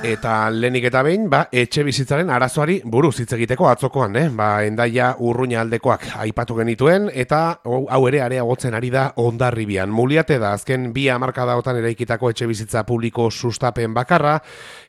Eta lehenik eta behin, etxe bizitzaren arazoari buruz hitz egiteko atzokoan, Hendaia Urruña aldekoak aipatu genituen, eta hau ere areagotzen ari da Hondarribian. Muliate da azken 2 hamarkadaotan eraikitako etxe bizitza publiko sustapen bakarra,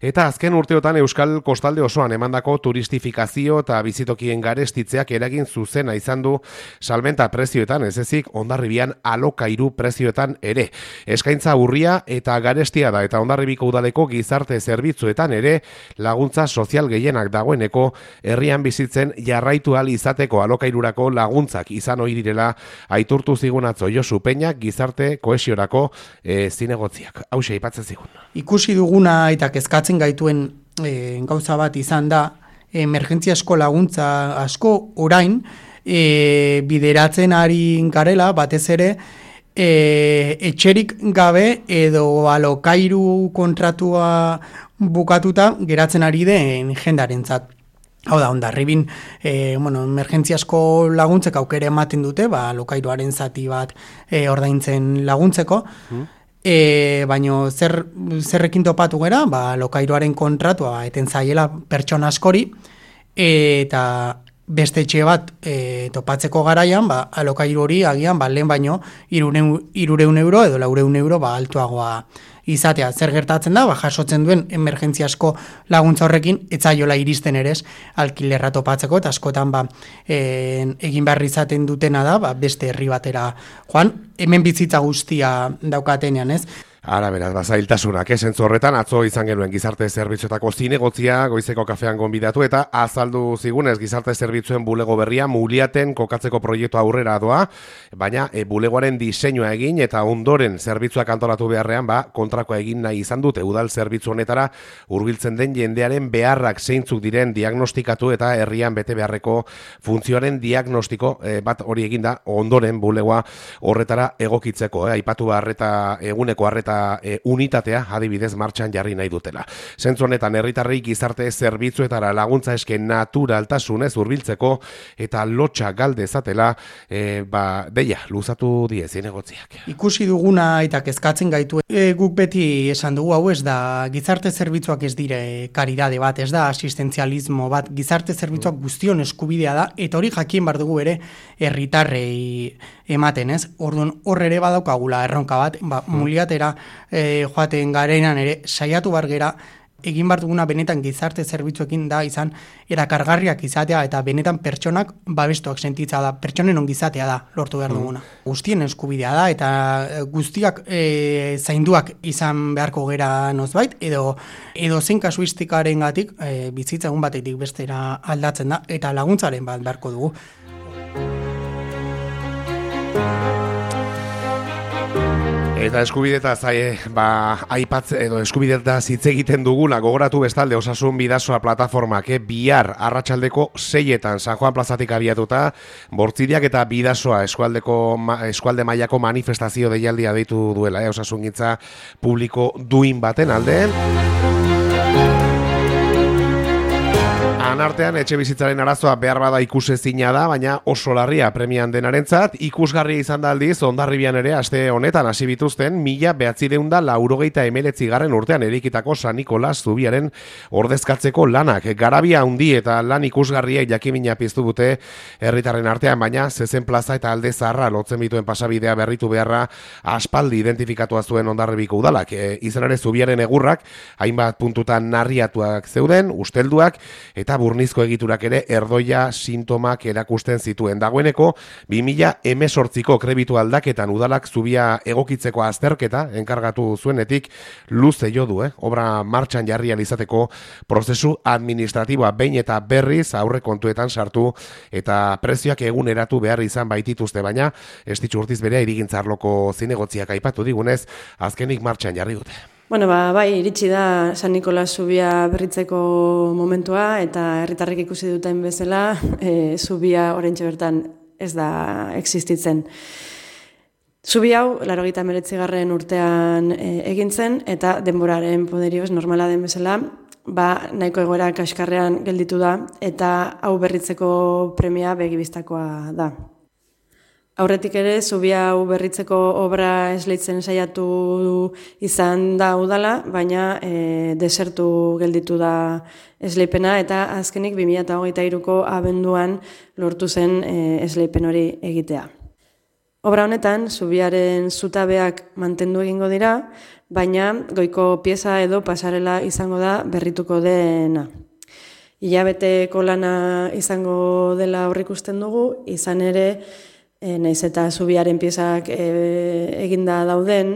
eta azken urteotan Euskal Kostalde osoan emandako turistifikazio eta bizitokien garestitzeak eragin zuzena izan du salmenta prezioetan, ez ezik Hondarribian alokairu prezioetan ere. Eskaintza urria eta garestia da, eta Hondarribiko udaleko gizarte zerbitzuetan ere laguntza sozial gehienak dagoeneko herrian bizitzen jarraitu ahal izateko alokairurako laguntzak izan ohi direla aitortu zigun atzo Josu Peñak gizarte kohesiorako zinegotziak. Hauxe aipatzen zigun. Ikusi duguna eta kezkatzen gaituen gauza bat izan da emergentziasko laguntza asko orain bideratzen ari garela batez ere etxerik gabe edo alokairu kontratua bukatuta geratzen ari den jendarentzat. Hau da, Hondarribin, emergentziasko laguntzek aukera ematen dute, alokairuaren zati bat ordaintzen laguntzeko, baino zerrekin topatu gera, alokairuaren kontratua eten zaiela pertsona askori, eta beste etxe bat topatzeko garaian, alokairu hori agian lehen baino 300 euro edo 400 euro altuagoa izatea. Zer gertatzen da, jasotzen duen emergentziasko laguntza horrekin etzaiola iristen ere alkilerra topatzeko, eta askotan egin behar izaten dutena da, beste herri batera joan, hemen bizitza guztia daukatenean, ez? Ara beraz, zailtasunak, zentzu horretan, atzo izan genuen gizarte zerbitzuetako zinegotzia, goizeko kafean gonbidatu, eta azaldu zigunez gizarte zerbitzuen bulego berria Muliaten kokatzeko proiektu aurrera doa, baina bulegoaren diseinua egin eta ondoren zerbitzuak antolatu beharrean, kontrakoa egin nahi izan dute udal zerbitzu honetara hurbiltzen den jendearen beharrak zeintzuk diren diagnostikatu eta herrian bete beharreko funtzioaren diagnostiko bat hori eginda ondoren bulegoa horretara egokitzeko, aipatu eguneko harreta unitatea adibidez martxan jarri nahi dutela. Zentzu honetan herritarrei gizarte zerbitzuetara laguntza eske naturaltasunez hurbiltzeko eta lotxa galde zatela deia luzatu die zinegotziak. Ikusi duguna eta kezkatzen gaitu guk beti esan dugu hau ez da gizarte zerbitzuak ez dire karidade bat, ez da asistentzialismo bat, gizarte zerbitzuak guztion eskubidea da, eta hori jakin bar dugu ere herritarrei ematen, ez? Orduan hor ere badaukagula erronka bat, Muliatera joaten garenan ere saiatu bargera egin bar duguna benetan gizarte zerbitzuekin da izan erakargarriak izatea eta benetan pertsonak babestuak sentitza da, pertsonen ongizatea da lortu behar duguna. Guztien eskubidea da eta guztiak zainduak izan beharko gera nozbait edo zein kasuistikarengatik bizitza egun batetik bestera aldatzen da eta laguntzaren bat beharko dugu. Eta eskubidetaz eskubidetaz hitz egiten duguna gogoratu bestalde Osasun Bidasoa plataformak bihar arratsaldeko 6etan San Juan plazatik abiatuta Bortziriak eta Bidasoa eskualde mailako manifestazio deialdia deitu duela osasungintza publiko duin baten alde. Artean etxe bizitzaren arazoa behar bada ikusezina da, baina oso larria premian denarentzat, ikusgarria izan da aldiz Hondarribian ere aste honetan hasi bituzten 1989 urtean eraikitako San Nikolas zubiaren ordezkatzeko lanak. Garabia handi eta lan ikusgarriek jakimina piztu dute herritarren artean, baina Zezen plaza eta Alde Zaharra lotzen bituen pasabidea berritu beharra aspaldi identifikatua zuen Hondarribiko udalak. Izan ere zubiaren egurrak hainbat puntutan narriatuak zeuden, ustelduak eta burnizko egiturak ere erdoia sintomak erakusten zituen. Dagoeneko 2018ko krebitu aldaketan udalak zubia egokitzeko azterketa enkargatu zuenetik luze jo du, obra martxan jarri ahal izateko prozesu administratiboa behin eta berriz aurrekontuetan sartu eta prezioak eguneratu behar izan baitituzte, baina Estitxu Urtiz berea irigintzarloko zinegotziak aipatu digunez azkenik martxan jarri dute. Bueno, bai, iritsi da San Nikolas zubia berritzeko momentua eta herritarrek ikusi duten bezala, zubia oraintxe bertan ez da existitzen. Zubi hau, 89. urtean egin zen eta denboraren poderioz normala den bezala, nahiko egoera kaskarrean gelditu da eta hau berritzeko premia begibistakoa da. Aurretik ere, zubia hau berritzeko obra esleitzen saiatu izan da udala, baina desertu gelditu da esleipena, eta azkenik 2023ko abenduan lortu zen esleipen hori egitea. Obra honetan, zubiaren zutabeak mantendu egingo dira, baina goiko pieza edo pasarela izango da berrituko dena. Hilabeteko lana izango dela aurreikusten dugu, izan ere, naiz eta zubiaren piezak eginda dauden,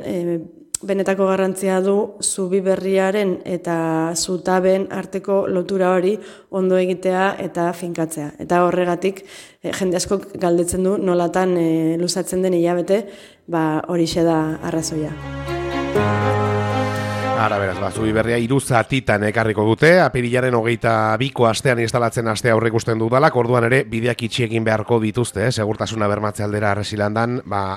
benetako garrantzia du zubi berriaren eta zutaben arteko lotura hori ondo egitea eta finkatzea. Eta horregatik, jende askok galdetzen du nolatan luzatzen den hilabete, horixe da arrazoia. Ara beraz, zubi berria 3 zatitan ekarriko dute, apirilaren 22ko astean instalatzen astea aurreikusten dudalak, orduan ere bideak itxi egin beharko dituzte, segurtasuna bermatze aldera Arresilandan,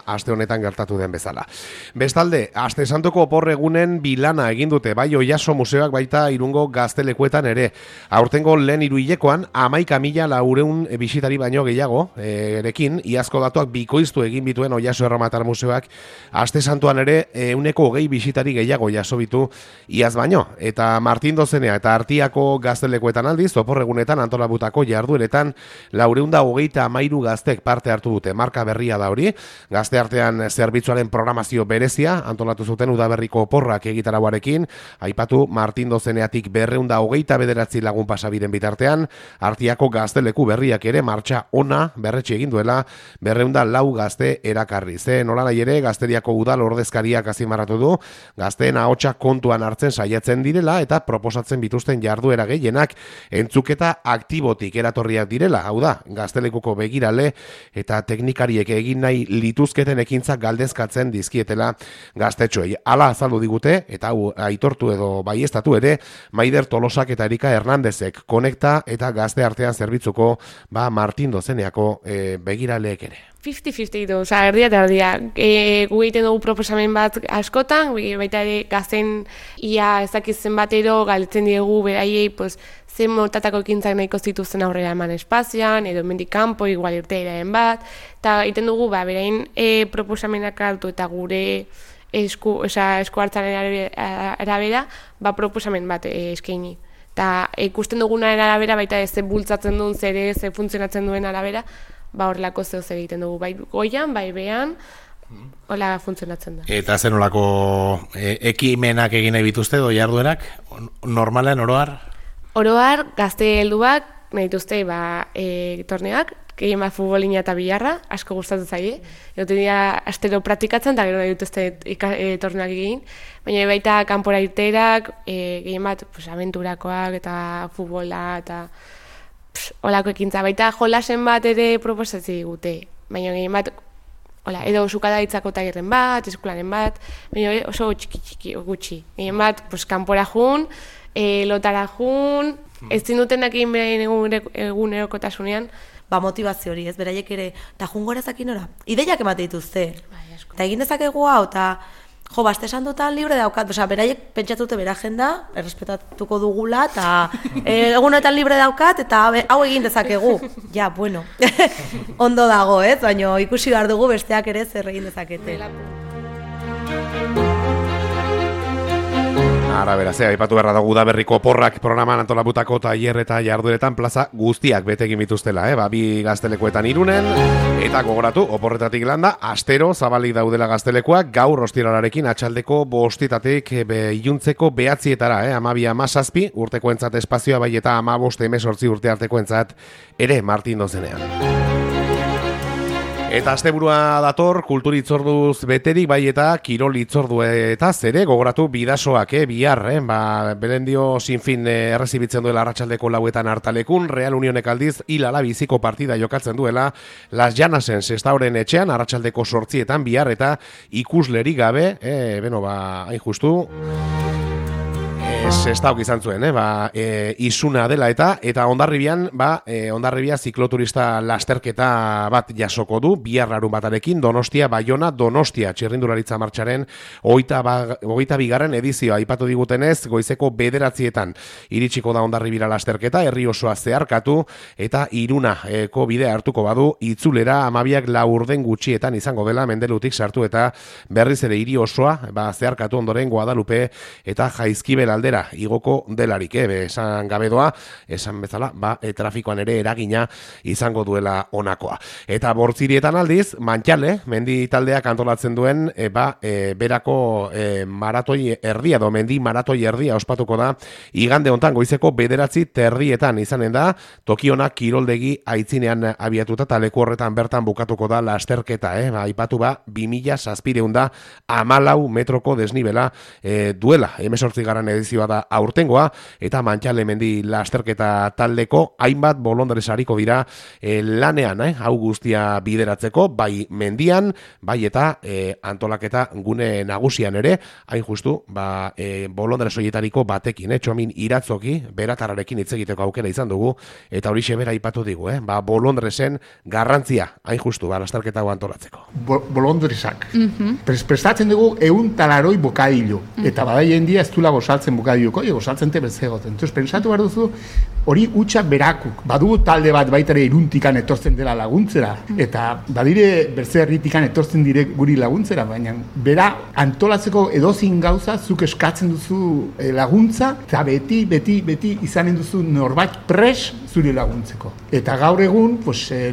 aste honetan gertatu den bezala. Bestalde, aste santuko oporregunen bilana egin dute, bai Oiaso museoak baita Irungo gaztelekuetan ere. Aurtengo lehen 3 hilekoan 11.400 bisitari baino gehiago erekin, iazko datuak bikoiztu egin bituen Oiaso Erromatar museoak, aste santuan ere 120 bisitari gehiago jaso bitu iaz baino, eta Martin Dozenea eta Artiako gaztelekuetan aldiz, oporregunetan antolabutako jardueretan 433 gaztek parte hartu dute, marka berria da hori, gazte artean zerbitzuaren programazio berezia, antolatu zuten udaberriko oporrak egitarauarekin, aipatu Martin Dozeneatik 229 lagun pasabiden bitartean, Artiako gazteleku berriak ere martxa ona berretxe egin duela 204 gazte erakarri. Nola nahi ere, Gazteriako udal ordezkariak azimarratu du, gazteen ahotsa kontuan hartzen saiatzen direla eta proposatzen bituzten jarduera gehienak entzuketa aktibotik eratorriak direla. Hau da, gaztelekuko begirale eta teknikariek egin nahi lituzketen ekintzak galdezkatzen dizkietela gaztetxoei. Hala azaldu digute, eta hau aitortu edo baiestatu ere, Maider Tolosak eta Erika Hernandezek konekta eta gazte artean zerbitzuko Martin Dozeneako begiraleek ere. 50-50 du, erdia eta erdia. Gu egiten dugu proposamen bat askotan, baita ere gazten ia ezakitzen batero galdetzen diegu beraiei zen motatako ekintzak nahiko zituzten aurrera eman espazioan, edo mendik kanpo, igual irteiraren bat, eta egiten dugu berain proposamenak hartu eta gure esku hartzaren arabera, proposamen bat eskaini. Eta ikusten dugunaren arabera, baita ez bultzatzen duen zer ze funtzionatzen duen arabera, horrelako zeo zer egiten dugu, bai goian, bai behan, hola funtzionatzen da. Eta zen olako ekimenak egin nahi bituzte, doi jarduerak, normalen oroar? Oroar, gazte helduak, nahi dituzte torneak, gehien bat futbolina eta bilarra, asko gustatzen zaie. Egote dira astero praktikatzen, eta gero nahi dituzte torneak egin. Baina baita kanpora irterak, gehien bat aventurakoak eta futbola eta holako ekintza. Baita jolasen bat ere proposatzen digute. Baina gehien bat, edo sukada ditzako tailerren bat, eskolaren bat, baina oso txiki gutxi. Gehien bat, kanpora jun, lotara jun, ez zindutenak egin beraien egunerokotasunean. Motivazio hori, ez beraiek ere, eta jungora zakinora, ideiak emate dituzte. Eta egin dezakegu hau, eta aste santutan libre daukat, beraiek pentsatute bera agenda, errespetatuko dugula, eta egunetan libre daukat, eta hau egin dezakegu. Ja, bueno, ondo dago, baina ikusi behar dugu besteak ere zer egin dezakete. Ara beraz, aipatu beharra dugu Udaberriko oporrak programan antolabutako tailer eta jardueretan plaza guztiak bete egin bituztela, bi gaztelekuetan Irunen, eta gogoratu, oporretatik landa, astero zabalik daudela gaztelekuak, gaur ostiralarekin atxaldeko 5:00 iluntzeko 9:00, 12:17 urtekoentzat espazioa, bai eta 15-18 urte artekoentzat ere Martin Dozenean. Eta asteburua dator, kultur hitzorduz beterik, bai eta kirol hitzorduetaz ere, gogoratu bidasoak, bihar, Belendio sinfin errezibitzen duela arratsaldeko 4:00 Hartalekun, Real Unionek aldiz hilala biziko partida jokatzen duela Las Llanasen Sestaoren etxean, arratsaldeko 8:00 bihar, eta ikuslerik gabe, hain justu, Sestauk izan zuen, isuna dela eta Hondarribian, Hondarribia zikloturista lasterketa bat jasoko du, bihar larun batarekin, Donostia, txirrindularitza martxaren 22. edizioa, aipatu digutenez, goizeko 9:00 iritsiko da Hondarribira lasterketa, herri osoa zeharkatu, eta Irunako bidea hartuko badu, itzulera 12:04 gutxietan izango dela, Mendelutik sartu eta berriz ere hiri osoa, zeharkatu ondoren Guadalupe eta Jaizkibel aldera igoko delarik, esan gabe doa, esan bezala, trafikoan ere eragina izango duela honakoa. Eta Bortzirietan aldiz, Mantxale, mendi taldeak antolatzen duen, berako maratoi erdia, mendi maratoi erdia ospatuko da, igande hontan goizeko 9:30 izanen da, Tokionak kiroldegi aitzinean abiatuta, eta leku horretan bertan bukatuko da lasterketa, aipatu 2714 metroko desnibela duela, 18. edizioa da aurtengoa, eta Mantxale mendi lasterketa taldeko hainbat bolondres hariko dira lanean, hau guztia bideratzeko, bai mendian, bai eta antolaketa gune nagusian ere, hain justu, bolondres horietariko batekin, Txomin Iratzoki, beratarrarekin hitz egiteko aukera izan dugu, eta horixe bera aipatu digu, bolondresen garrantzia, hain justu, lasterketa hau antolatzeko. Bolondresak. Prestatzen dugu 100 bokadilo, eta badaien dia ez dula gosaltzen bokadiloko, gosaltzen te berzegoten. Entonces, pensatu behar duzu, hori utxak berakuk. Badugu talde bat baitare Iruntikan etortzen dela laguntzera, eta badire berze herritikan etortzen dire guri laguntzera, baina bera antolatzeko edozin gauza zuk eskatzen duzu laguntza, eta beti izanen duzu norbait pres zuri laguntzeko. Eta gaur egun,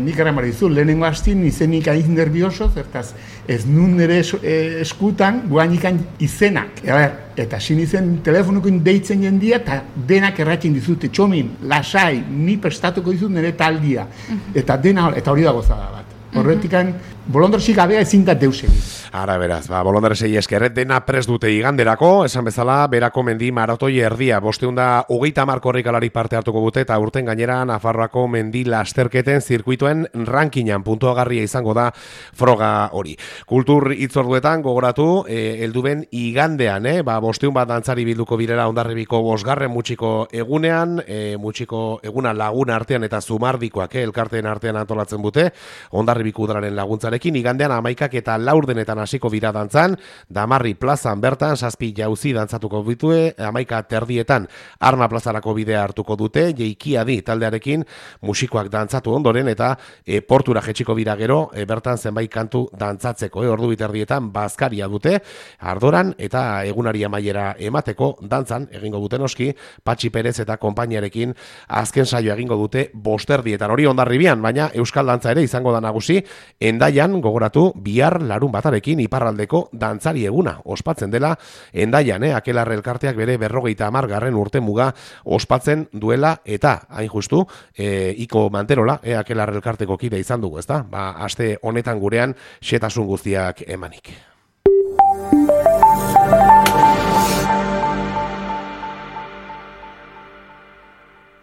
nik erramara dizu, lehenengo hastin izenik aiz nervioso, zertaz ez nun nire eskutan guanikan izenak. Eta sin izen telefonukin deitzen jendia, eta denak erratzen dizute, Txomin, lasai, ni prestatuko dizut nire taldia. Eta hori da gozada bat. Horretikan, bolondresik gabea ezin da deus egin. Ara beraz, bolondresei esker, dena prest dute iganderako, esan bezala, berako mendi maratoi erdia, 530 korrikalari parte hartuko dute, eta urten gainera Nafarroako mendi lasterketen zirkuituen rankingan puntuagarria izango da froga hori. Kultur hitzorduetan gogoratu, helduben igandean, 500 bat dantzari bilduko birela Hondarribiko 5. mutxiko egunean, mutxiko eguna lagun artean eta zumardikoak elkarteen artean antolatzen dute, Hondarribiko udararen laguntzarekin, igandean 11 eta 4 hasiko bira dantzan, Damarri plazan bertan, 7 jauzi dantzatuko ditue, 11:30 Arma plazarako bidea hartuko dute, Jeikiadi taldearekin musikoak dantzatu ondoren, eta portura jetxiko bira gero, bertan zenbait kantu dantzatzeko, ordu 2:30 bazkaria dute, ardoran eta egunari amaiera emateko dantzan, egingo duten oski, Patxi Perez eta konpainiarekin azken saio egingo dute 5:30 hori Hondarribian, baina Euskal Dantza ere izango da nagusi, Endaian gogoratu bihar larun batarekin iparraldeko dantzari eguna ospatzen dela Endaian, Akelarre elkarteak bere 50. urte muga ospatzen duela, eta hain justu Iko Manterola Akelarre elkarteko kide izan dugu, ezta? Aste honetan gurean xetasun guztiak emanik.